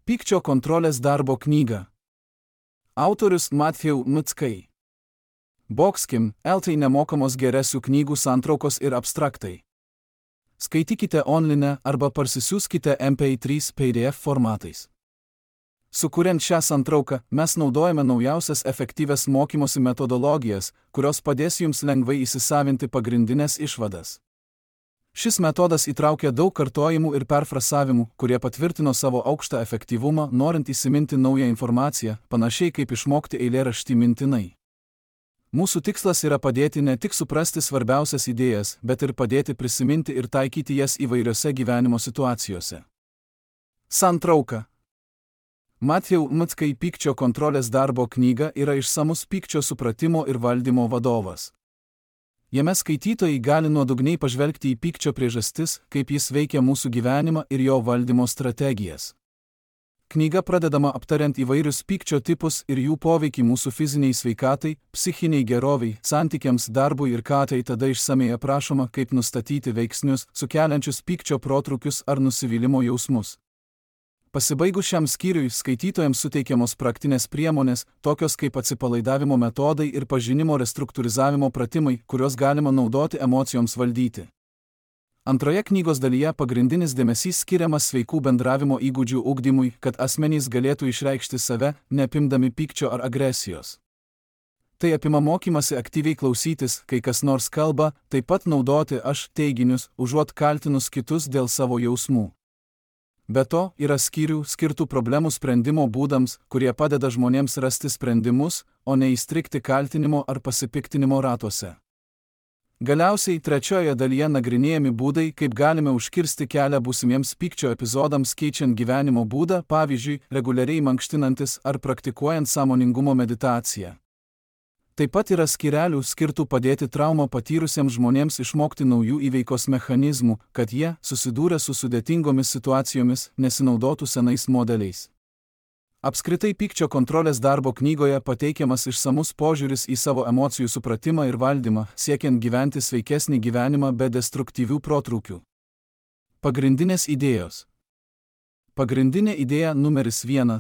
Pykčio kontrolės darbo knyga. Autorius Matthew Mickai. Boxkim, LT nemokamos geresių knygų santraukos ir abstraktai. Skaitykite online arba parsisiųskite MP3 PDF formatais. Sukuriant šią santrauką, mes naudojame naujausias efektyvias mokymosi metodologijas, kurios padės jums lengvai įsisavinti pagrindinės išvadas. Šis metodas įtraukia daug kartojimų ir perfrasavimų, kurie patvirtino savo aukštą efektyvumą, norint įsiminti naują informaciją, panašiai kaip išmokti eilėraštį mintinai. Mūsų tikslas yra padėti ne tik suprasti svarbiausias idėjas, bet ir padėti prisiminti ir taikyti jas įvairiose gyvenimo situacijose. Santrauka. Matthew Mickai Pykčio kontrolės darbo knyga yra išsamus pykčio supratimo ir valdymo vadovas. Jame skaitytojai gali nuodugniai pažvelgti į pykčio priežastis, kaip jis veikia mūsų gyvenimą ir jo valdymo strategijas. Knyga pradedama aptariant įvairius pykčio tipus ir jų poveikį mūsų fiziniai sveikatai, psichiniai geroviai, santykiams, darbui ir tada išsamei aprašoma, kaip nustatyti veiksnius, sukeliančius pykčio protrūkius ar nusivylimo jausmus. Pasibaigus šiam skyriui, skaitytojams suteikiamos praktinės priemonės, tokios kaip atsipalaidavimo metodai ir pažinimo restruktūrizavimo pratimai, kuriuos galima naudoti emocijoms valdyti. Antroje knygos dalyje pagrindinis dėmesys skiriamas sveikų bendravimo įgūdžių ugdymui, kad asmenys galėtų išreikšti save, neapimdami pykčio ar agresijos. Tai apima mokymasi aktyviai klausytis, kai kas nors kalba, taip pat naudoti aš teiginius, užuot kaltinus kitus dėl savo jausmų. Be to, yra skyrių skirtų problemų sprendimo būdams, kurie padeda žmonėms rasti sprendimus, o ne įstrigti kaltinimo ar pasipiktinimo ratuose. Galiausiai, trečioje dalyje nagrinėjami būdai, kaip galime užkirsti kelią būsimiems pykčio epizodams keičiant gyvenimo būdą, pavyzdžiui, reguliariai mankštinantis ar praktikuojant sąmoningumo meditaciją. Taip pat yra skyrelių skirtų padėti traumą patyrusiems žmonėms išmokti naujų įveikos mechanizmų, kad jie, susidūrę su sudėtingomis situacijomis, nesinaudotų senais modeliais. Apskritai pykčio kontrolės darbo knygoje pateikiamas išsamus požiūris į savo emocijų supratimą ir valdymą, siekiant gyventi sveikesnį gyvenimą be destruktyvių protrūkių. Pagrindinės idėjos. Pagrindinė idėja numeris 1.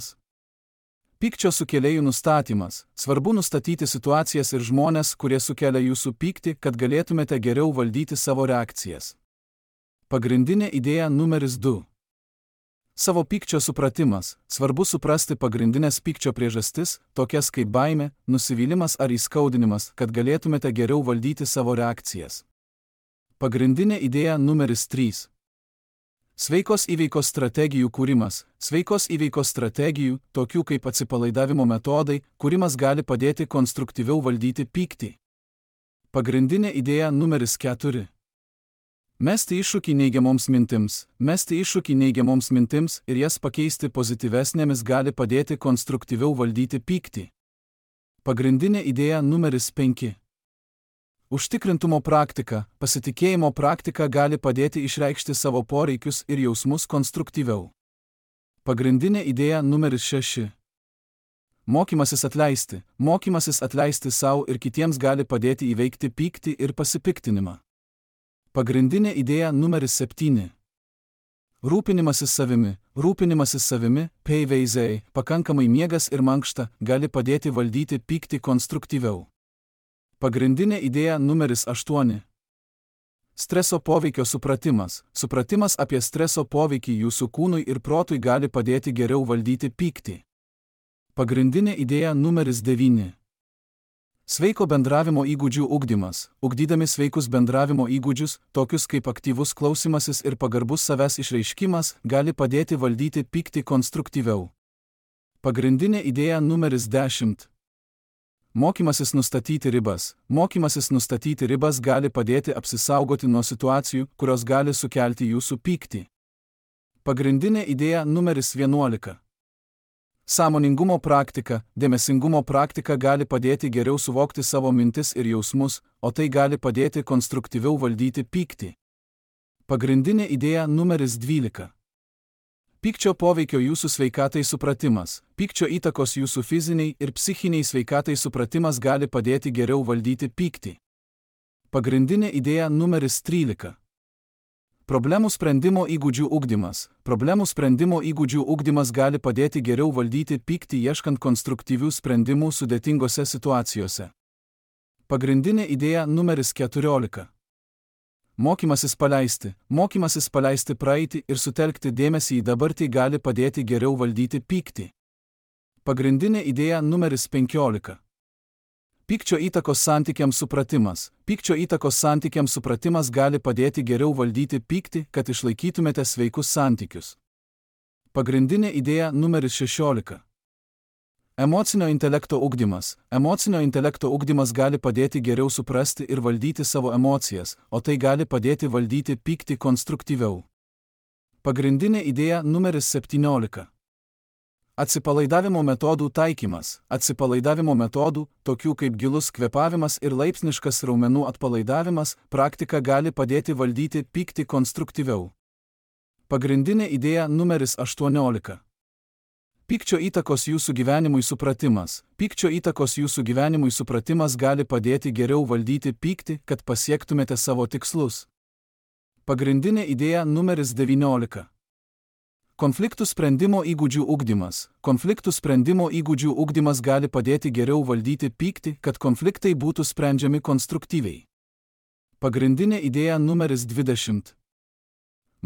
Pykčio sukėlėjų nustatymas. Svarbu nustatyti situacijas ir žmones, kurie sukelia jūsų pyktį, kad galėtumėte geriau valdyti savo reakcijas. Pagrindinė idėja numeris 2. Savo pykčio supratimas. Svarbu suprasti pagrindinės pykčio priežastis, tokias kaip baimė, nusivylimas ar įskaudinimas, kad galėtumėte geriau valdyti savo reakcijas. Pagrindinė idėja numeris 3. Sveikos įveikos strategijų kūrimas. Sveikos įveikos strategijų, tokių kaip atsipalaidavimo metodai, kūrimas gali padėti konstruktyviau valdyti pyktį. Pagrindinė idėja numeris 4. Mesti iššūkį neigiamoms mintims. Mesti iššūkį neigiamoms mintims ir jas pakeisti pozityvesnėmis gali padėti konstruktyviau valdyti pyktį. Pagrindinė idėja numeris 5. Užtikrintumo praktika. Pasitikėjimo praktika gali padėti išreikšti savo poreikius ir jausmus konstruktyviau. Pagrindinė idėja numeris 6. Mokymasis atleisti. Mokymasis atleisti savo ir kitiems gali padėti įveikti pyktį ir pasipiktinimą. Pagrindinė idėja numeris 7. Rūpinimasis savimi. Rūpinimasis savimi, PVZ, pakankamai miegas ir mankšta, gali padėti valdyti pyktį konstruktyviau. Pagrindinė idėja numeris 8. Streso poveikio supratimas. Supratimas apie streso poveikį jūsų kūnui ir protui gali padėti geriau valdyti pyktį. Pagrindinė idėja numeris 9. Sveiko bendravimo įgūdžių ugdymas. Ugdydami sveikus bendravimo įgūdžius, tokius kaip aktyvus klausimasis ir pagarbus savęs išreiškimas, gali padėti valdyti pyktį konstruktyviau. Pagrindinė idėja numeris 10. Mokymasis nustatyti ribas. Mokymasis nustatyti ribas gali padėti apsisaugoti nuo situacijų, kurios gali sukelti jūsų pyktį. Pagrindinė idėja numeris 11. Sąmoningumo praktika. Dėmesingumo praktika gali padėti geriau suvokti savo mintis ir jausmus, o tai gali padėti konstruktyviau valdyti pyktį. Pagrindinė idėja numeris 12. Pykčio poveikio jūsų sveikatai supratimas. Pykčio įtakos jūsų fiziniai ir psichiniai sveikatai supratimas gali padėti geriau valdyti pyktį. Pagrindinė idėja numeris 13. Problemų sprendimo įgūdžių ugdymas. Problemų sprendimo įgūdžių ugdymas gali padėti geriau valdyti pyktį ieškant konstruktyvių sprendimų sudėtingose situacijose. Pagrindinė idėja numeris 14. Mokymasis paleisti praeitį ir sutelkti dėmesį į dabartį gali padėti geriau valdyti pyktį. Pagrindinė idėja numeris 15. Pykčio įtakos santykiams supratimas. Pykčio įtakos santykiams supratimas gali padėti geriau valdyti pyktį, kad išlaikytumėte sveikus santykius. Pagrindinė idėja numeris 16. Emocinio intelekto ugdymas. Emocinio intelekto ugdymas gali padėti geriau suprasti ir valdyti savo emocijas, o tai gali padėti valdyti pyktį konstruktyviau. Pagrindinė idėja numeris 17. Atsipalaidavimo metodų taikymas. Atsipalaidavimo metodų, tokių kaip gilus kvėpavimas ir laipsniškas raumenų atpalaidavimas, praktika gali padėti valdyti pyktį konstruktyviau. Pagrindinė idėja numeris 18. Pykčio įtakos jūsų gyvenimui supratimas. Pykčio įtakos jūsų gyvenimui supratimas gali padėti geriau valdyti pyktį, kad pasiektumėte savo tikslus. Pagrindinė idėja numeris 19. Konfliktų sprendimo įgūdžių ugdymas. Konfliktų sprendimo įgūdžių ugdymas gali padėti geriau valdyti pyktį, kad konfliktai būtų sprendžiami konstruktyviai. Pagrindinė idėja numeris 20.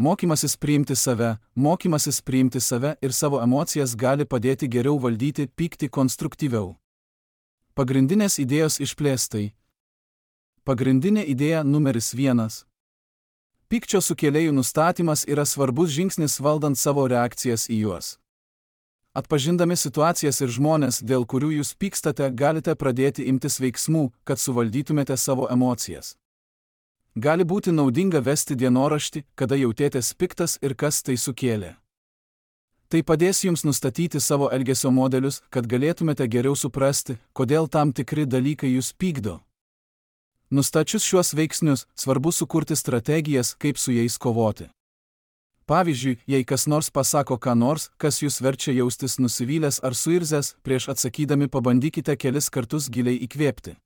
Mokymasis priimti save ir savo emocijas gali padėti geriau valdyti pyktį konstruktyviau. Pagrindinės idėjos išplėstai. Pagrindinė idėja numeris 1. Pykčio sukėlėjų nustatymas yra svarbus žingsnis valdant savo reakcijas į juos. Atpažindami situacijas ir žmones, dėl kurių jūs pykstate, galite pradėti imtis veiksmų, kad suvaldytumėte savo emocijas. Gali būti naudinga vesti dienoraštį, kada jautėtės piktas ir kas tai sukėlė. Tai padės jums nustatyti savo elgesio modelius, kad galėtumėte geriau suprasti, kodėl tam tikri dalykai jūs pykdo. Nustačius šiuos veiksnius, svarbu sukurti strategijas, kaip su jais kovoti. Pavyzdžiui, jei kas nors pasako ką nors, kas jūs verčia jaustis nusivylęs ar suirzęs, prieš atsakydami pabandykite kelis kartus giliai įkvėpti.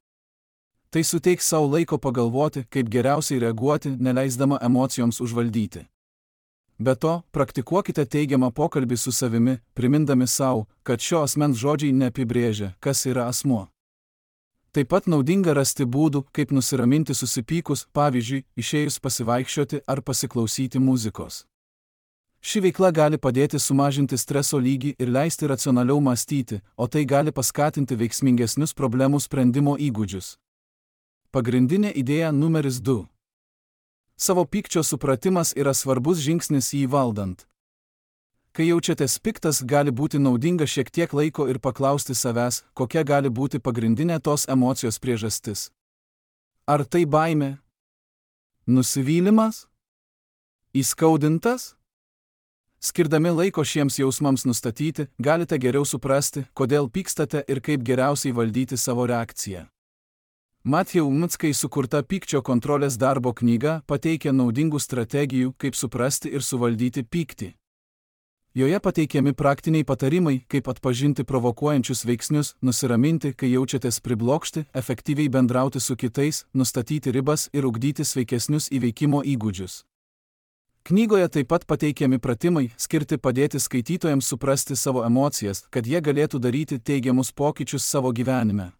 Tai suteiks savo laiko pagalvoti, kaip geriausiai reaguoti, neleisdama emocijoms užvaldyti. Be to, praktikuokite teigiamą pokalbį su savimi, primindami savo, kad šio asmens žodžiai neapibrėžia, kas yra asmuo. Taip pat naudinga rasti būdų, kaip nusiraminti susipykus, pavyzdžiui, išėjus pasivaikščioti ar pasiklausyti muzikos. Ši veikla gali padėti sumažinti streso lygį ir leisti racionaliau mąstyti, o tai gali paskatinti veiksmingesnius problemų sprendimo įgūdžius. Pagrindinė idėja numeris 2. Savo pykčio supratimas yra svarbus žingsnis jį valdant. Kai jaučiatės piktas, gali būti naudinga šiek tiek laiko ir paklausti savęs, kokia gali būti pagrindinė tos emocijos priežastis. Ar tai baimė? Nusivylimas? Įskaudintas? Skirdami laiko šiems jausmams nustatyti, galite geriau suprasti, kodėl pykstate ir kaip geriausiai valdyti savo reakciją. Matthew Mickai sukurta pykčio kontrolės darbo knyga pateikia naudingų strategijų, kaip suprasti ir suvaldyti pyktį. Joje pateikiami praktiniai patarimai, kaip atpažinti provokuojančius veiksnius, nusiraminti, kai jaučiatės priblokšti, efektyviai bendrauti su kitais, nustatyti ribas ir ugdyti sveikesnius įveikimo įgūdžius. Knygoje taip pat pateikiami pratimai, skirti padėti skaitytojams suprasti savo emocijas, kad jie galėtų daryti teigiamus pokyčius savo gyvenime.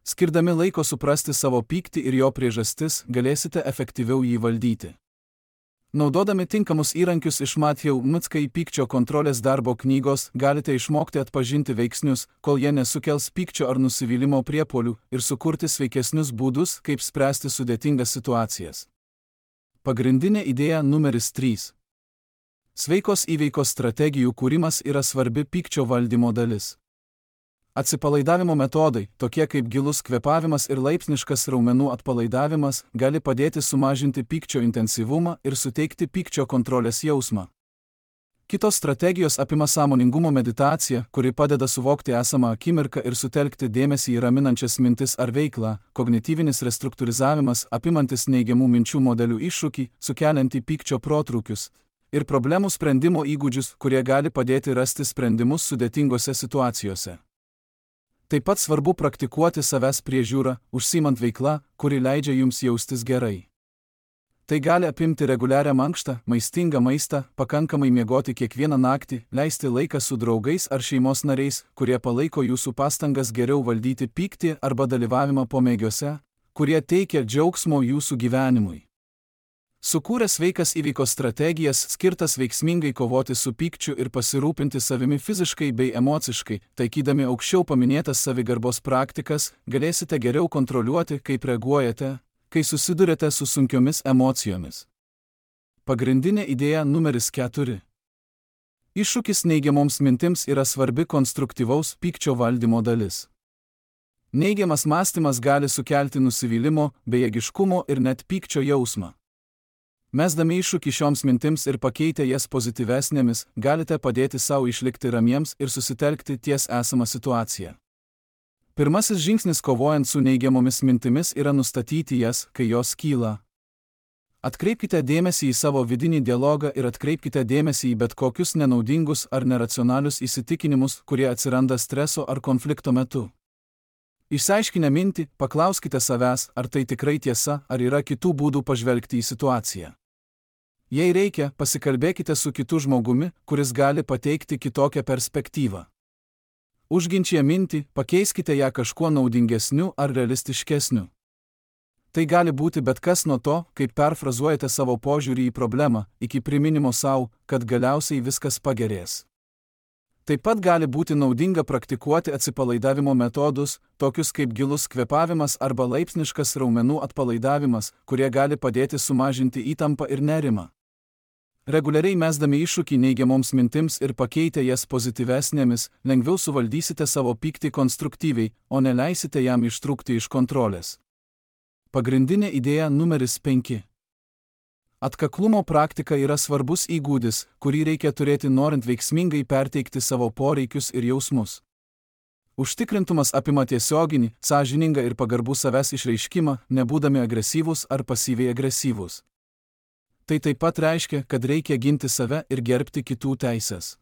Skirdami laiko suprasti savo pyktį ir jo priežastis, galėsite efektyviau jį valdyti. Naudodami tinkamus įrankius iš Matthew Mickai pykčio kontrolės darbo knygos, galite išmokti atpažinti veiksnius, kol jie nesukels pykčio ar nusivylimo priepuolių, ir sukurti sveikesnius būdus, kaip spręsti sudėtingas situacijas. Pagrindinė idėja numeris 3. Sveikos įveikos strategijų kūrimas yra svarbi pykčio valdymo dalis. Atsipalaidavimo metodai, tokie kaip gilus kvėpavimas ir laipsniškas raumenų atpalaidavimas, gali padėti sumažinti pykčio intensyvumą ir suteikti pykčio kontrolės jausmą. Kitos strategijos apima sąmoningumo meditaciją, kuri padeda suvokti esamą akimirką ir sutelkti dėmesį į raminančias mintis ar veiklą, kognityvinis restruktūrizavimas apimantis neigiamų minčių modelių iššūkį, sukeliantį pykčio protrūkius, ir problemų sprendimo įgūdžius, kurie gali padėti rasti sprendimus sudėtingose situacijose. Taip pat svarbu praktikuoti savęs priežiūrą, užsiimant veiklą, kuri leidžia jums jaustis gerai. Tai gali apimti reguliarią mankštą, maistingą maistą, pakankamai miegoti kiekvieną naktį, leisti laiką su draugais ar šeimos nariais, kurie palaiko jūsų pastangas geriau valdyti pyktį arba dalyvavimą pomėgiuose, kurie teikia džiaugsmo jūsų gyvenimui. Sukūrę sveikas įveikos strategijas skirtas veiksmingai kovoti su pykčiu ir pasirūpinti savimi fiziškai bei emociškai, taikydami aukščiau paminėtas savigarbos praktikas, galėsite geriau kontroliuoti, kaip reaguojate, kai susidurėte su sunkiomis emocijomis. Pagrindinė idėja numeris 4. Iššūkis neigiamoms mintims yra svarbi konstruktyvaus pykčio valdymo dalis. Neigiamas mąstymas gali sukelti nusivylimo, bejėgiškumo ir net pykčio jausmą. Mesdami iššūkį šioms mintims ir pakeitę jas pozityvesnėmis, galite padėti savo išlikti ramiems ir susitelkti ties esamą situaciją. Pirmasis žingsnis kovojant su neigiamomis mintimis yra nustatyti jas, kai jos kyla. Atkreipkite dėmesį į savo vidinį dialogą ir atkreipkite dėmesį į bet kokius nenaudingus ar neracionalius įsitikinimus, kurie atsiranda streso ar konflikto metu. Išsiaiškinę mintį, paklauskite savęs, ar tai tikrai tiesa, ar yra kitų būdų pažvelgti į situaciją. Jei reikia, pasikalbėkite su kitu žmogumi, kuris gali pateikti kitokią perspektyvą. Užginčiję mintį, pakeiskite ją kažkuo naudingesniu ar realistiškesniu. Tai gali būti bet kas nuo to, kaip perfrazuojate savo požiūrį į problemą, iki priminimo savo, kad galiausiai viskas pagerės. Taip pat gali būti naudinga praktikuoti atsipalaidavimo metodus, tokius kaip gilus kvėpavimas arba laipsniškas raumenų atpalaidavimas, kurie gali padėti sumažinti įtampą ir nerimą. Reguliariai mesdami iššūkį neigiamoms mintims ir pakeitę jas pozityvesnėmis, lengviau suvaldysite savo pyktį konstruktyviai, o neleisite jam ištrūkti iš kontrolės. Pagrindinė idėja numeris 5. Atkaklumo praktika yra svarbus įgūdis, kurį reikia turėti norint veiksmingai perteikti savo poreikius ir jausmus. Užtikrintumas apima tiesioginį, sąžiningą ir pagarbų savęs išreiškimą, nebūdami agresyvūs ar pasyviai agresyvūs. Tai taip pat reiškia, kad reikia ginti save ir gerbti kitų teises.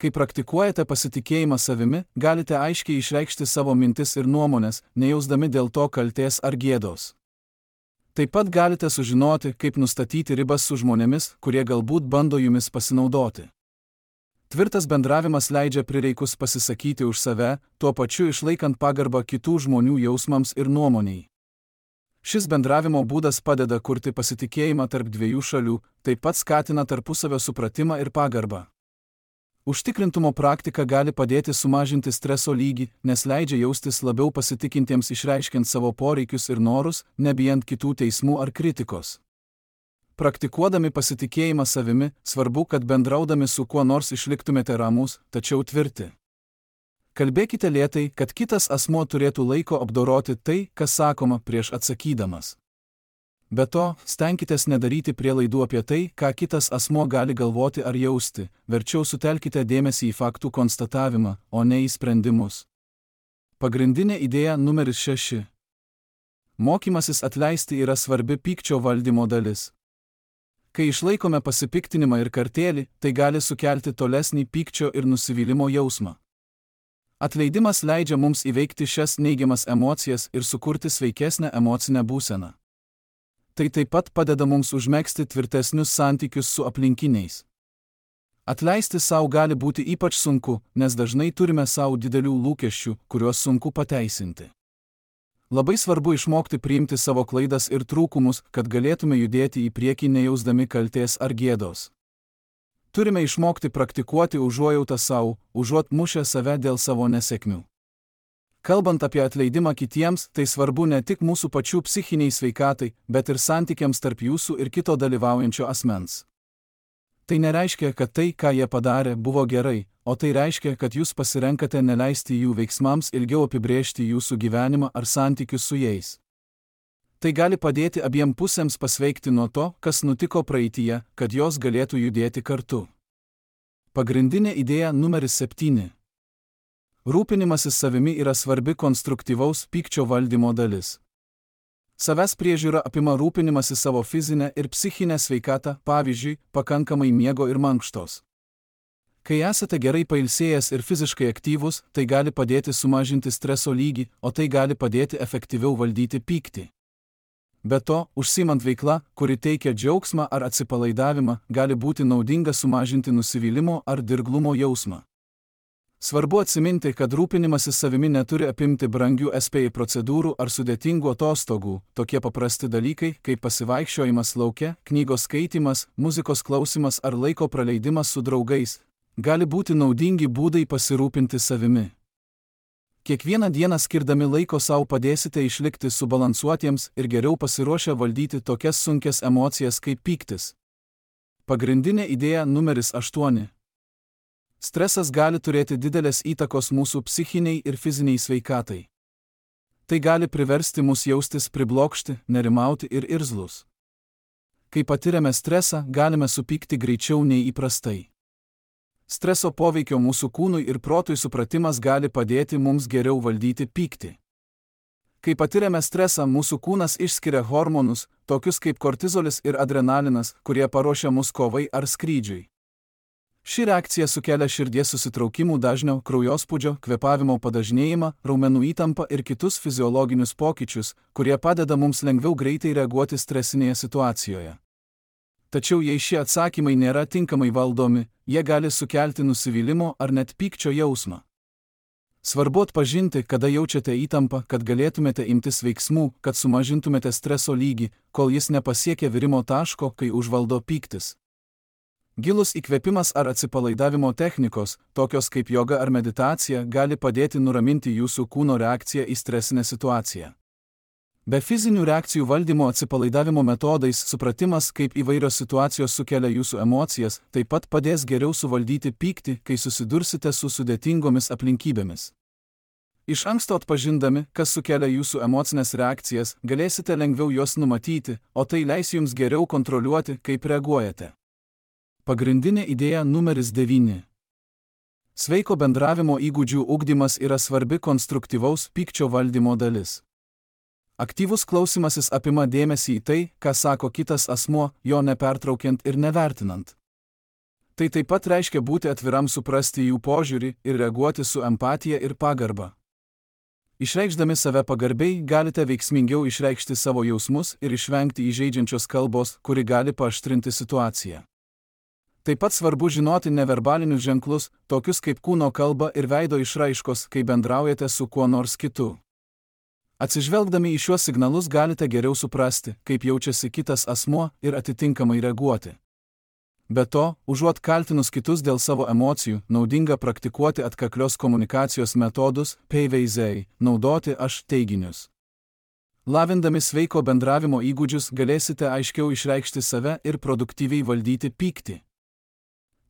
Kai praktikuojate pasitikėjimą savimi, galite aiškiai išreikšti savo mintis ir nuomonės, nejausdami dėl to kaltės ar gėdos. Taip pat galite sužinoti, kaip nustatyti ribas su žmonėmis, kurie galbūt bando jumis pasinaudoti. Tvirtas bendravimas leidžia prireikus pasisakyti už save, tuo pačiu išlaikant pagarbą kitų žmonių jausmams ir nuomoniai. Šis bendravimo būdas padeda kurti pasitikėjimą tarp dviejų šalių, taip pat skatina tarpusavio supratimą ir pagarbą. Užtikrintumo praktika gali padėti sumažinti streso lygį, nes leidžia jaustis labiau pasitikintiems išreiškiant savo poreikius ir norus, nebijant kitų teismų ar kritikos. Praktikuodami pasitikėjimą savimi, svarbu, kad bendraudami su kuo nors išliktumėte ramūs, tačiau tvirti. Kalbėkite lėtai, kad kitas asmuo turėtų laiko apdoroti tai, kas sakoma prieš atsakydamas. Be to, stenkitės nedaryti prielaidų apie tai, ką kitas asmuo gali galvoti ar jausti, verčiau sutelkite dėmesį į faktų konstatavimą, o ne į sprendimus. Pagrindinė idėja numeris 6. Mokymasis atleisti yra svarbi pykčio valdymo dalis. Kai išlaikome pasipiktinimą ir kartėlį, tai gali sukelti tolesnį pykčio ir nusivylimo jausmą. Atleidimas leidžia mums įveikti šias neigiamas emocijas ir sukurti sveikesnę emocinę būseną. Tai taip pat padeda mums užmegzti tvirtesnius santykius su aplinkiniais. Atleisti savo gali būti ypač sunku, nes dažnai turime savo didelių lūkesčių, kuriuos sunku pateisinti. Labai svarbu išmokti priimti savo klaidas ir trūkumus, kad galėtume judėti į priekį nejausdami kaltės ar gėdos. Turime išmokti praktikuoti užuojautą savo, užuot mušę save dėl savo nesėkmių. Kalbant apie atleidimą kitiems, tai svarbu ne tik mūsų pačių psichiniai sveikatai, bet ir santykiams tarp jūsų ir kito dalyvaujančio asmens. Tai nereiškia, kad tai, ką jie padarė, buvo gerai, o tai reiškia, kad jūs pasirenkate neleisti jų veiksmams ilgiau apibrėžti jūsų gyvenimą ar santykius su jais. Tai gali padėti abiem pusėms pasveikti nuo to, kas nutiko praeityje, kad jos galėtų judėti kartu. Pagrindinė idėja numeris 7. Rūpinimasis savimi yra svarbi konstruktyvaus pykčio valdymo dalis. Savęs priežiūra apima rūpinimasi savo fizinę ir psichinę sveikatą, pavyzdžiui, pakankamai miego ir mankštos. Kai esate gerai pailsėjęs ir fiziškai aktyvus, tai gali padėti sumažinti streso lygį, o tai gali padėti efektyviau valdyti pyktį. Be to, užsiimant veikla, kuri teikia džiaugsmą ar atsipalaidavimą, gali būti naudinga sumažinti nusivylimo ar dirglumo jausmą. Svarbu atsiminti, kad rūpinimasis savimi neturi apimti brangių SPI procedūrų ar sudėtingų atostogų. Tokie paprasti dalykai, kaip pasivaikščiojimas lauke, knygos skaitymas, muzikos klausimas ar laiko praleidimas su draugais, gali būti naudingi būdai pasirūpinti savimi. Kiekvieną dieną skirdami laiko sau padėsite išlikti subalansuotiems ir geriau pasiruošę valdyti tokias sunkias emocijas kaip pyktis. Pagrindinė idėja numeris 8. Stresas gali turėti didelės įtakos mūsų psichiniai ir fiziniai sveikatai. Tai gali priversti mus jaustis priblokšti, nerimauti ir irzlus. Kai patiriame stresą, galime supykti greičiau nei įprastai. Streso poveikio mūsų kūnui ir protui supratimas gali padėti mums geriau valdyti pyktį. Kai patiriame stresą, mūsų kūnas išskiria hormonus, tokius kaip kortizolis ir adrenalinas, kurie paruošia mus kovai ar skrydžiui. Ši reakcija sukelia širdies susitraukimų dažnio, kraujospūdžio, kvėpavimo padažnėjimą, raumenų įtampą ir kitus fiziologinius pokyčius, kurie padeda mums lengviau greitai reaguoti stresinėje situacijoje. Tačiau jei šie atsakymai nėra tinkamai valdomi, jie gali sukelti nusivylimo ar net pykčio jausmą. Svarbu atpažinti, kada jaučiate įtampą, kad galėtumėte imtis veiksmų, kad sumažintumėte streso lygį, kol jis nepasiekia virimo taško, kai užvaldo pyktis. Gilus įkvėpimas ar atsipalaidavimo technikos, tokios kaip joga ar meditacija, gali padėti nuraminti jūsų kūno reakciją į stresinę situaciją. Be fizinių reakcijų valdymo atsipalaidavimo metodais supratimas, kaip įvairios situacijos sukelia jūsų emocijas, taip pat padės geriau suvaldyti pyktį, kai susidursite su sudėtingomis aplinkybėmis. Iš anksto atpažindami, kas sukelia jūsų emocinės reakcijas, galėsite lengviau juos numatyti, o tai leis jums geriau kontroliuoti, kaip reaguojate. Pagrindinė idėja numeris 9. Sveiko bendravimo įgūdžių ugdymas yra svarbi konstruktyvaus pykčio valdymo dalis. Aktyvus klausimasis apima dėmesį į tai, ką sako kitas asmuo, jo nepertraukiant ir nevertinant. Tai taip pat reiškia būti atviram suprasti jų požiūrį ir reaguoti su empatija ir pagarba. Išreikšdami save pagarbiai, galite veiksmingiau išreikšti savo jausmus ir išvengti įžeidžiančios kalbos, kuri gali paaštrinti situaciją. Taip pat svarbu žinoti neverbalinius ženklus, tokius kaip kūno kalba ir veido išraiškos, kai bendraujate su kuo nors kitu. Atsižvelgdami į šiuos signalus galite geriau suprasti, kaip jaučiasi kitas asmuo ir atitinkamai reaguoti. Be to, užuot kaltinus kitus dėl savo emocijų, naudinga praktikuoti atkaklios komunikacijos metodus, PVZ, naudoti aš teiginius. Lavindami sveiko bendravimo įgūdžius galėsite aiškiau išreikšti save ir produktyviai valdyti pyktį.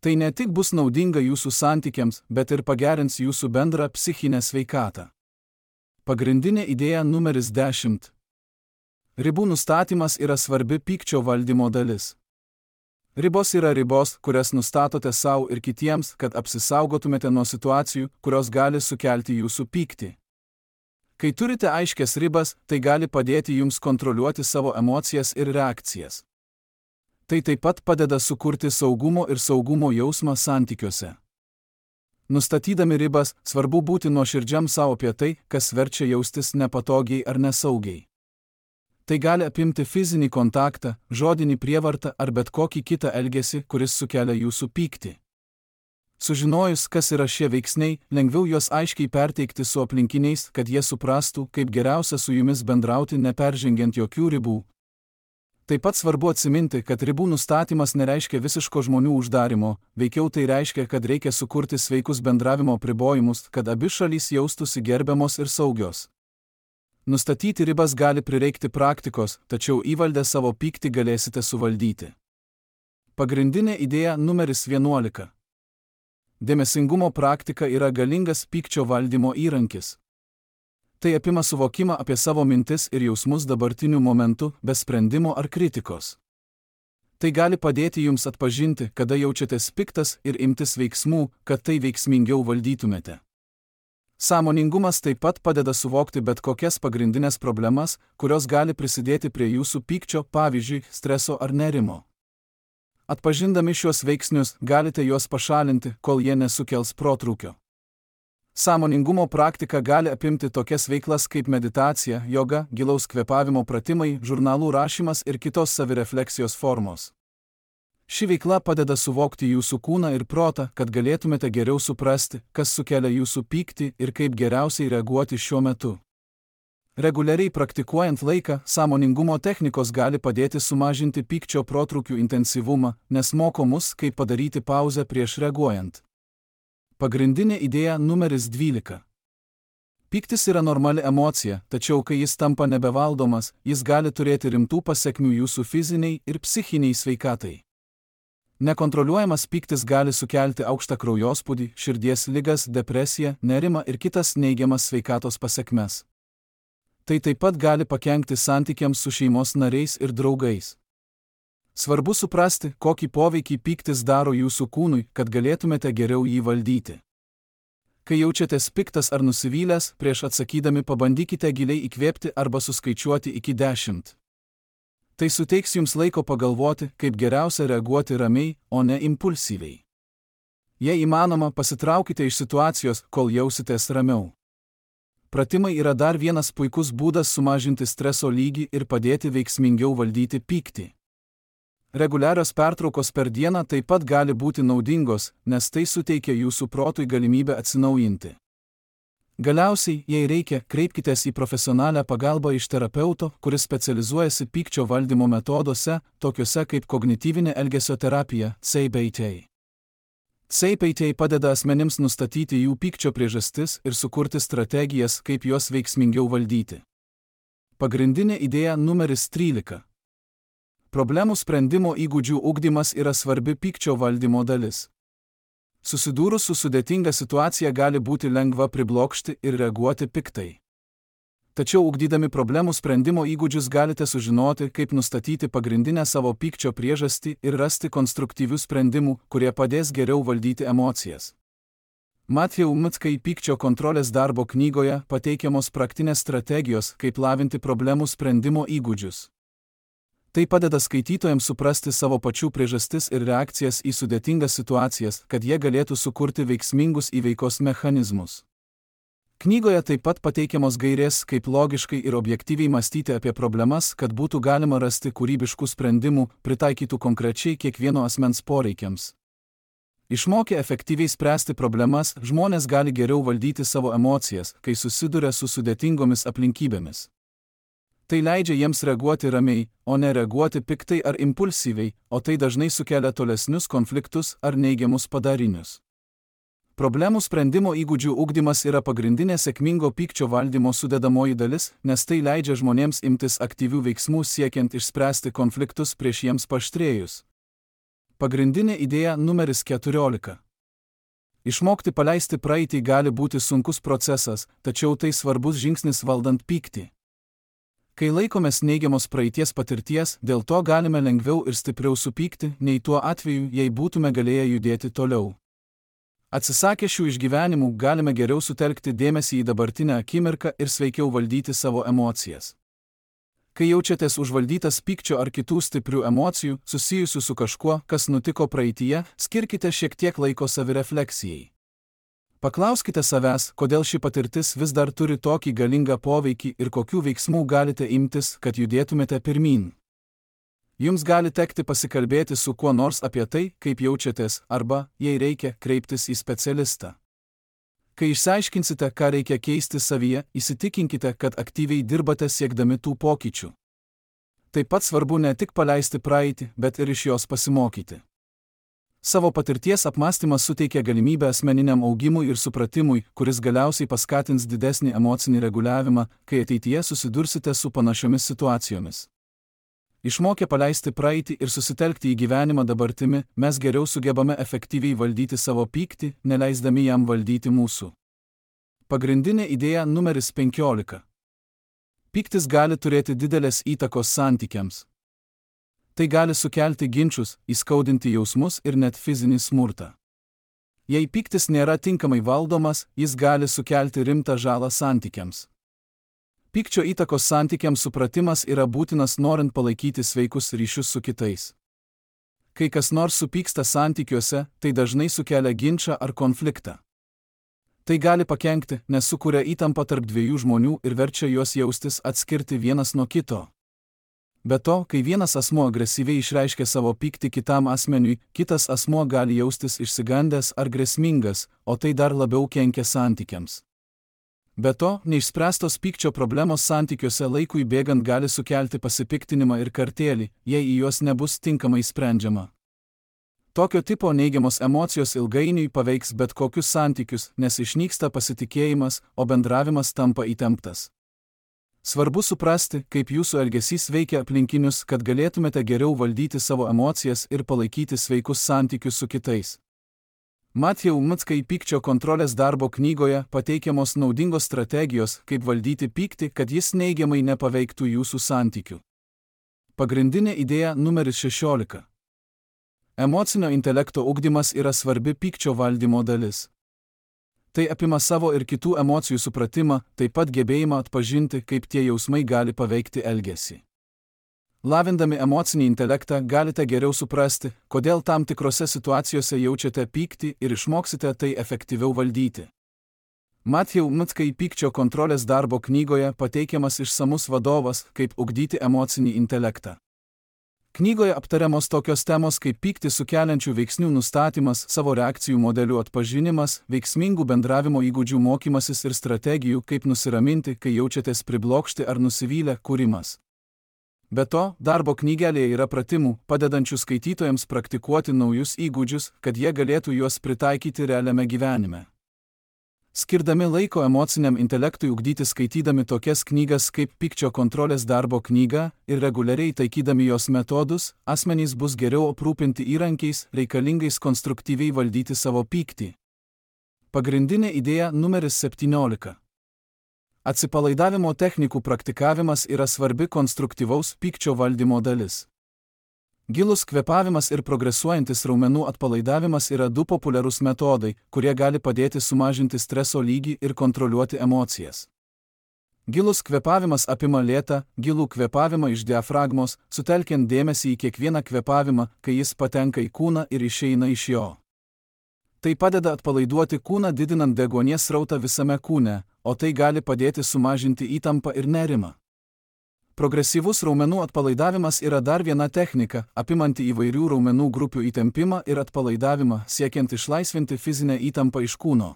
Tai ne tik bus naudinga jūsų santykiams, bet ir pagerins jūsų bendrą psichinę sveikatą. Pagrindinė idėja numeris 10. Ribų nustatymas yra svarbi pykčio valdymo dalis. Ribos yra ribos, kurias nustatote savo ir kitiems, kad apsisaugotumėte nuo situacijų, kurios gali sukelti jūsų pyktį. Kai turite aiškias ribas, tai gali padėti jums kontroliuoti savo emocijas ir reakcijas. Tai taip pat padeda sukurti saugumo ir saugumo jausmą santykiuose. Nustatydami ribas, svarbu būti nuoširdžiam savo apie tai, kas verčia jaustis nepatogiai ar nesaugiai. Tai gali apimti fizinį kontaktą, žodinį prievartą ar bet kokį kitą elgesį, kuris sukelia jūsų pyktį. Sužinojus, kas yra šie veiksniai, lengviau juos aiškiai perteikti su aplinkiniais, kad jie suprastų, kaip geriausia su jumis bendrauti neperžengiant jokių ribų. Taip pat svarbu atsiminti, kad ribų nustatymas nereiškia visiško žmonių uždarimo, veikiau tai reiškia, kad reikia sukurti sveikus bendravimo apribojimus, kad abi šalys jaustųsi gerbiamos ir saugios. Nustatyti ribas gali prireikti praktikos, tačiau įvaldę savo pyktį galėsite suvaldyti. Pagrindinė idėja numeris 11. Dėmesingumo praktika yra galingas pykčio valdymo įrankis. Tai apima suvokimą apie savo mintis ir jausmus dabartiniu momentu, be sprendimo ar kritikos. Tai gali padėti jums atpažinti, kada jaučiatės piktas ir imtis veiksmų, kad tai veiksmingiau valdytumėte. Sąmoningumas taip pat padeda suvokti bet kokias pagrindinės problemas, kurios gali prisidėti prie jūsų pykčio, pavyzdžiui, streso ar nerimo. Atpažindami šiuos veiksnius, galite juos pašalinti, kol jie nesukels protrūkio. Sąmoningumo praktika gali apimti tokias veiklas kaip meditacija, joga, gilaus kvėpavimo pratimai, žurnalų rašymas ir kitos savirefleksijos formos. Ši veikla padeda suvokti jūsų kūną ir protą, kad galėtumėte geriau suprasti, kas sukelia jūsų pyktį ir kaip geriausiai reaguoti šiuo metu. Reguliariai praktikuojant laiką, sąmoningumo technikos gali padėti sumažinti pykčio protrūkių intensyvumą, nes moko mus, kaip padaryti pauzę prieš reaguojant. Pagrindinė idėja numeris 12. Pyktis yra normali emocija, tačiau kai jis tampa nebevaldomas, jis gali turėti rimtų pasekmių jūsų fiziniai ir psichiniai sveikatai. Nekontroliuojamas pyktis gali sukelti aukštą kraujospūdį, širdies ligas, depresiją, nerimą ir kitas neigiamas sveikatos pasekmes. Tai taip pat gali pakenkti santykiams su šeimos nariais ir draugais. Svarbu suprasti, kokį poveikį pyktis daro jūsų kūnui, kad galėtumėte geriau jį valdyti. Kai jaučiatės piktas ar nusivylęs, prieš atsakydami pabandykite giliai įkvėpti arba suskaičiuoti iki 10. Tai suteiks jums laiko pagalvoti, kaip geriausia reaguoti ramiai, o ne impulsyviai. Jei įmanoma, pasitraukite iš situacijos, kol jausitės ramiau. Pratimai yra dar vienas puikus būdas sumažinti streso lygį ir padėti veiksmingiau valdyti pyktį. Reguliarios pertraukos per dieną taip pat gali būti naudingos, nes tai suteikia jūsų protui galimybę atsinaujinti. Galiausiai, jei reikia, kreipkitės į profesionalią pagalbą iš terapeuto, kuris specializuojasi pykčio valdymo metoduose, tokiuose kaip kognityvinė elgesio terapija, CBT. CBT padeda asmenims nustatyti jų pykčio priežastis ir sukurti strategijas, kaip juos veiksmingiau valdyti. Pagrindinė idėja numeris 13. Problemų sprendimo įgūdžių ugdymas yra svarbi pykčio valdymo dalis. Susidūrus su sudėtinga situacija gali būti lengva priblokšti ir reaguoti piktai. Tačiau ugdydami problemų sprendimo įgūdžius galite sužinoti, kaip nustatyti pagrindinę savo pykčio priežastį ir rasti konstruktyvių sprendimų, kurie padės geriau valdyti emocijas. Matthew McConaughey pykčio kontrolės darbo knygoje pateikiamos praktinės strategijos, kaip lavinti problemų sprendimo įgūdžius. Tai padeda skaitytojams suprasti savo pačių priežastis ir reakcijas į sudėtingas situacijas, kad jie galėtų sukurti veiksmingus įveikos mechanizmus. Knygoje taip pat pateikiamos gairės, kaip logiškai ir objektyviai mąstyti apie problemas, kad būtų galima rasti kūrybiškų sprendimų, pritaikytų konkrečiai kiekvieno asmens poreikiams. Išmokę efektyviai spręsti problemas, žmonės gali geriau valdyti savo emocijas, kai susiduria su sudėtingomis aplinkybėmis. Tai leidžia jiems reaguoti ramiai, o ne reaguoti piktai ar impulsyviai, o tai dažnai sukelia tolesnius konfliktus ar neigiamus padarinius. Problemų sprendimo įgūdžių ugdymas yra pagrindinė sėkmingo pykčio valdymo sudedamoji dalis, nes tai leidžia žmonėms imtis aktyvių veiksmų siekiant išspręsti konfliktus prieš jiems paaštrėjus. Pagrindinė idėja numeris 14. Išmokti paleisti praeitį gali būti sunkus procesas, tačiau tai svarbus žingsnis valdant pyktį. Kai laikomės neigiamos praeities patirties, dėl to galime lengviau ir stipriau supykti, nei tuo atveju, jei būtume galėję judėti toliau. Atsisakę šių išgyvenimų galime geriau sutelkti dėmesį į dabartinę akimirką ir sveikiau valdyti savo emocijas. Kai jaučiatės užvaldytas pykčio ar kitų stiprių emocijų, susijusių su kažkuo, kas nutiko praeityje, skirkite šiek tiek laiko savirefleksijai. Paklauskite savęs, kodėl ši patirtis vis dar turi tokį galingą poveikį ir kokių veiksmų galite imtis, kad judėtumėte pirmyn. Jums gali tekti pasikalbėti su kuo nors apie tai, kaip jaučiatės, arba, jei reikia, kreiptis į specialistą. Kai išsiaiškinsite, ką reikia keisti savyje, įsitikinkite, kad aktyviai dirbate siekdami tų pokyčių. Taip pat svarbu ne tik paleisti praeitį, bet ir iš jos pasimokyti. Savo patirties apmąstymas suteikia galimybę asmeniniam augimui ir supratimui, kuris galiausiai paskatins didesnį emocinį reguliavimą, kai ateityje susidursite su panašiomis situacijomis. Išmokę paleisti praeitį ir susitelkti į gyvenimą dabartimi, mes geriau sugebame efektyviai valdyti savo pyktį, neleisdami jam valdyti mūsų. Pagrindinė idėja numeris 15. Pyktis gali turėti didelės įtakos santykiams. Tai gali sukelti ginčus, įskaudinti jausmus ir net fizinį smurtą. Jei pyktis nėra tinkamai valdomas, jis gali sukelti rimtą žalą santykiams. Pykčio įtakos santykiams supratimas yra būtinas norint palaikyti sveikus ryšius su kitais. Kai kas nors supyksta santykiuose, tai dažnai sukelia ginčą ar konfliktą. Tai gali pakenkti, nes sukuria įtampą tarp dviejų žmonių ir verčia juos jaustis atskirti vienas nuo kito. Be to, kai vienas asmuo agresyviai išreiškia savo pyktį kitam asmeniui, kitas asmuo gali jaustis išsigandęs ar grėsmingas, o tai dar labiau kenkia santykiams. Be to, neišspręstos pykčio problemos santykiuose laikui bėgant gali sukelti pasipiktinimą ir kartėlį, jei į juos nebus tinkamai sprendžiama. Tokio tipo neigiamos emocijos ilgainiui paveiks bet kokius santykius, nes išnyksta pasitikėjimas, o bendravimas tampa įtemptas. Svarbu suprasti, kaip jūsų elgesys veikia aplinkinius, kad galėtumėte geriau valdyti savo emocijas ir palaikyti sveikus santykius su kitais. Matthew Mckai pykčio kontrolės darbo knygoje pateikiamos naudingos strategijos, kaip valdyti pyktį, kad jis neigiamai nepaveiktų jūsų santykių. Pagrindinė idėja numeris 16. Emocinio intelekto ugdymas yra svarbi pykčio valdymo dalis. Tai apima savo ir kitų emocijų supratimą, taip pat gebėjimą atpažinti, kaip tie jausmai gali paveikti elgesį. Lavindami emocinį intelektą galite geriau suprasti, kodėl tam tikrose situacijose jaučiate pyktį ir išmoksite tai efektyviau valdyti. Matthew Mckai pykčio kontrolės darbo knygoje pateikiamas išsamus vadovas, kaip ugdyti emocinį intelektą. Knygoje aptariamos tokios temos kaip pyktį sukeliančių veiksnių nustatymas, savo reakcijų modelių atpažinimas, veiksmingų bendravimo įgūdžių mokymasis ir strategijų, kaip nusiraminti, kai jaučiatės priblokšti ar nusivylę, kūrimas. Be to, darbo knygelėje yra pratimų, padedančių skaitytojams praktikuoti naujus įgūdžius, kad jie galėtų juos pritaikyti realiame gyvenime. Skirdami laiko emociniam intelektui ugdyti skaitydami tokias knygas kaip pykčio kontrolės darbo knyga ir reguliariai taikydami jos metodus, asmenys bus geriau aprūpinti įrankiais, reikalingais konstruktyviai valdyti savo pyktį. Pagrindinė idėja numeris 17. Atsipalaidavimo technikų praktikavimas yra svarbi konstruktyvaus pykčio valdymo dalis. Gilus kvėpavimas ir progresuojantis raumenų atpalaidavimas yra du populiarūs metodai, kurie gali padėti sumažinti streso lygį ir kontroliuoti emocijas. Gilus kvėpavimas apima lėtą, gilų kvėpavimą iš diafragmos, sutelkiant dėmesį į kiekvieną kvėpavimą, kai jis patenka į kūną ir išeina iš jo. Tai padeda atpalaiduoti kūną, didinant deguonies srautą visame kūne, o tai gali padėti sumažinti įtampą ir nerimą. Progresyvus raumenų atpalaidavimas yra dar viena technika, apimanti įvairių raumenų grupių įtempimą ir atpalaidavimą, siekiant išlaisvinti fizinę įtampą iš kūno.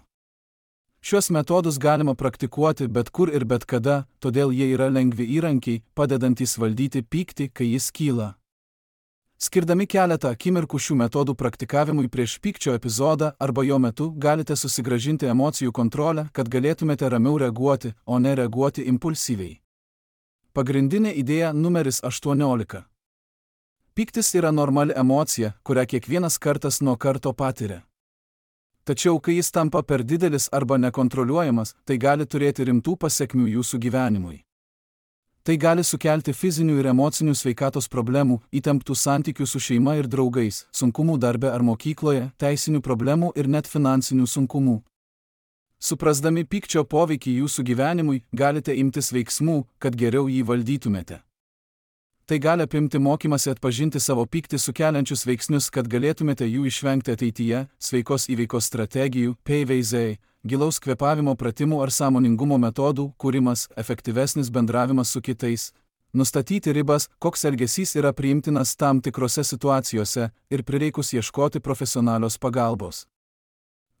Šios metodus galima praktikuoti bet kur ir bet kada, todėl jie yra lengvi įrankiai, padedantys valdyti pyktį, kai jis kyla. Skirdami keletą akimirkų šių metodų praktikavimui prieš pykčio epizodą arba jo metu galite susigrąžinti emocijų kontrolę, kad galėtumėte ramiau reaguoti, o ne reaguoti impulsyviai. Pagrindinė idėja numeris 18. Pyktis yra normali emocija, kurią kiekvienas kartas nuo karto patiria. Tačiau, kai jis tampa per didelis arba nekontroliuojamas, tai gali turėti rimtų pasekmių jūsų gyvenimui. Tai gali sukelti fizinių ir emocinių sveikatos problemų, įtemptų santykių su šeima ir draugais, sunkumų darbe ar mokykloje, teisinių problemų ir net finansinių sunkumų. Suprasdami pykčio poveikį jūsų gyvenimui, galite imtis veiksmų, kad geriau jį valdytumėte. Tai gali apimti mokymasi atpažinti savo pyktį sukeliančius veiksnius, kad galėtumėte jų išvengti ateityje, sveikos įveikos strategijų, PVZ, gilaus kvėpavimo pratimų ar sąmoningumo metodų, kūrimas, efektyvesnis bendravimas su kitais, nustatyti ribas, koks elgesys yra priimtinas tam tikrose situacijose ir prireikus ieškoti profesionalios pagalbos.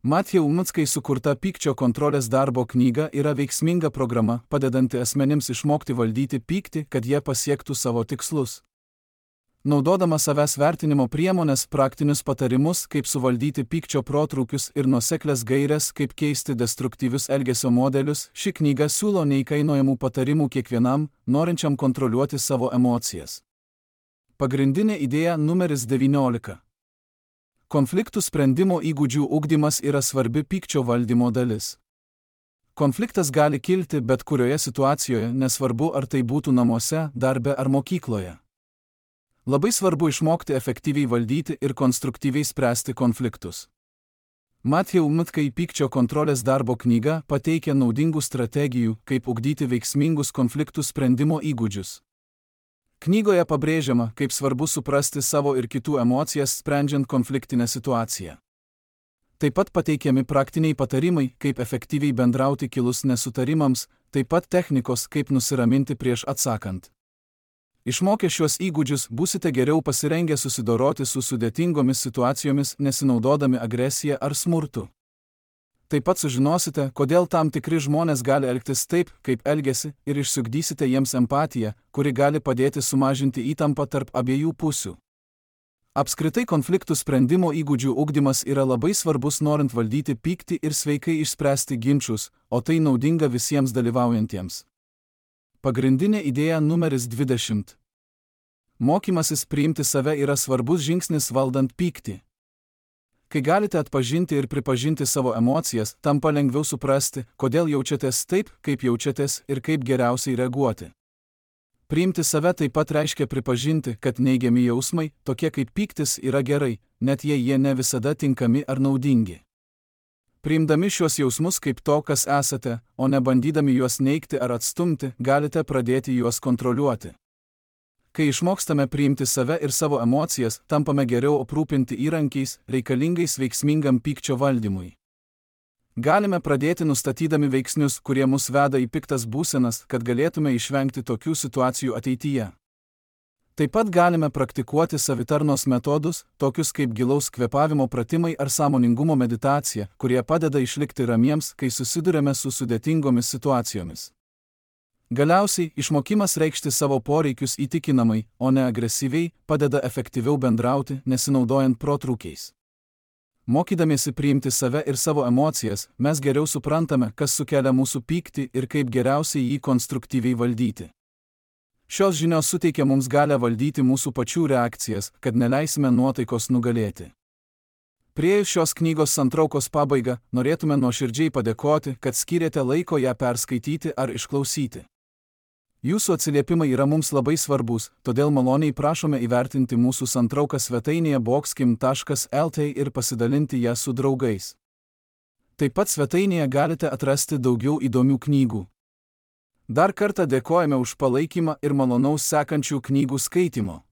Matthew Mckai sukurta pykčio kontrolės darbo knyga yra veiksminga programa, padedanti asmenims išmokti valdyti pyktį, kad jie pasiektų savo tikslus. Naudodama savęs vertinimo priemonės, praktinius patarimus, kaip suvaldyti pykčio protrūkius ir nuoseklias gaires, kaip keisti destruktyvius elgesio modelius, ši knyga siūlo neįkainojamų patarimų kiekvienam, norinčiam kontroliuoti savo emocijas. Pagrindinė idėja numeris 19. Konfliktų sprendimo įgūdžių ugdymas yra svarbi pykčio valdymo dalis. Konfliktas gali kilti bet kurioje situacijoje, nesvarbu ar tai būtų namuose, darbe ar mokykloje. Labai svarbu išmokti efektyviai valdyti ir konstruktyviai spręsti konfliktus. Matthew Mckai pykčio kontrolės darbo knyga pateikia naudingų strategijų, kaip ugdyti veiksmingus konfliktų sprendimo įgūdžius. Knygoje pabrėžiama, kaip svarbu suprasti savo ir kitų emocijas sprendžiant konfliktinę situaciją. Taip pat pateikiami praktiniai patarimai, kaip efektyviai bendrauti kilus nesutarimams, taip pat technikos, kaip nusiraminti prieš atsakant. Išmokę šiuos įgūdžius būsite geriau pasirengę susidoroti su sudėtingomis situacijomis, nesinaudodami agresiją ar smurtu. Taip pat sužinosite, kodėl tam tikri žmonės gali elgtis taip, kaip elgiasi, ir išsiugdysite jiems empatiją, kuri gali padėti sumažinti įtampą tarp abiejų pusių. Apskritai konfliktų sprendimo įgūdžių ugdymas yra labai svarbus norint valdyti pyktį ir sveikai išspręsti ginčus, o tai naudinga visiems dalyvaujantiems. Pagrindinė idėja numeris 20. Mokymasis priimti save yra svarbus žingsnis valdant pyktį. Kai galite atpažinti ir pripažinti savo emocijas, tampa lengviau suprasti, kodėl jaučiatės taip, kaip jaučiatės ir kaip geriausiai reaguoti. Priimti save taip pat reiškia pripažinti, kad neigiami jausmai, tokie kaip pyktis, yra gerai, net jei jie ne visada tinkami ar naudingi. Priimdami šiuos jausmus kaip to, kas esate, o ne bandydami juos neigti ar atstumti, galite pradėti juos kontroliuoti. Kai išmokstame priimti save ir savo emocijas, tampame geriau aprūpinti įrankiais, reikalingais veiksmingam pykčio valdymui. Galime pradėti nustatydami veiksnius, kurie mus veda į piktas būsenas, kad galėtume išvengti tokių situacijų ateityje. Taip pat galime praktikuoti savitarnos metodus, tokius kaip gilaus kvėpavimo pratimai ar sąmoningumo meditacija, kurie padeda išlikti ramiems, kai susiduriame su sudėtingomis situacijomis. Galiausiai, išmokimas reikšti savo poreikius įtikinamai, o ne agresyviai, padeda efektyviau bendrauti, nesinaudojant protrūkiais. Mokydamiesi priimti save ir savo emocijas, mes geriau suprantame, kas sukelia mūsų pyktį ir kaip geriausiai jį konstruktyviai valdyti. Šios žinios suteikia mums galią valdyti mūsų pačių reakcijas, kad neleisime nuotaikos nugalėti. Priėjus šios knygos santraukos pabaigą, norėtume nuoširdžiai padėkoti, kad skyrėte laiko ją perskaityti ar išklausyti. Jūsų atsiliepimai yra mums labai svarbus, todėl maloniai prašome įvertinti mūsų santrauką svetainėje boxkim.lt ir pasidalinti ją su draugais. Taip pat svetainėje galite atrasti daugiau įdomių knygų. Dar kartą dėkojame už palaikymą ir malonaus sekančių knygų skaitimo.